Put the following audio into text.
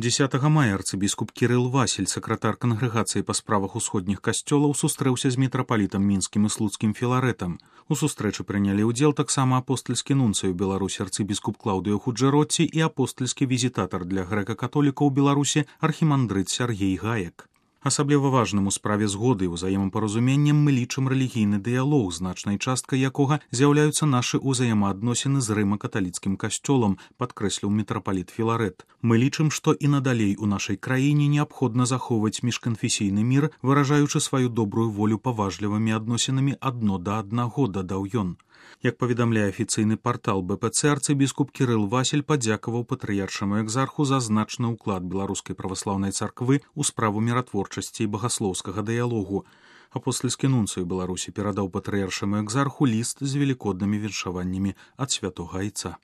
10 мая арцыбіскуп Кірыл Васіль, сакратар кангрэгацыі па справах усходніх касцёлаў, сустрэўся з мітрапалітам мінскім і слуцкім Філарэтам. У сустрэчы прынялі ўдзел таксама апостальскі нунцый у Беларусі арцыбіскуп Клаўдыё Худжэротці і апостальскі візітатар для грэка-католікаў у Беларусі архімандрыт Сяргей Гаек. Асабліва важным у справе згоды і ўзаемапаразуменнем мы лічым рэлігійны дыялог, значнай часткай якога з'яўляюцца нашы ўзаемаадносіны з рыма-каталіцкім касцёлам, падкрэсліў мітрапаліт Філарэт. Мы лічым, што і надалей у нашай краіне неабходна захоўваць міжканфесійны мір, выражаючы сваю добрую волю паважлівымі адносінамі адно да аднаго, дадаў ён. Як паведамляе афіцыйны партал БПЦ, арцыбіскуп Кірыл Васіль падзякаваў патрыяршаму экзарху за значны ўклад беларускай праваслаўнай царквы ў справу міратворчасці і багаслоўскага дыялогу. Апостальскі нунцый у Беларусі перадаў патрыяршаму экзарху ліст з велікоднымі віншаваннямі ад святога айца.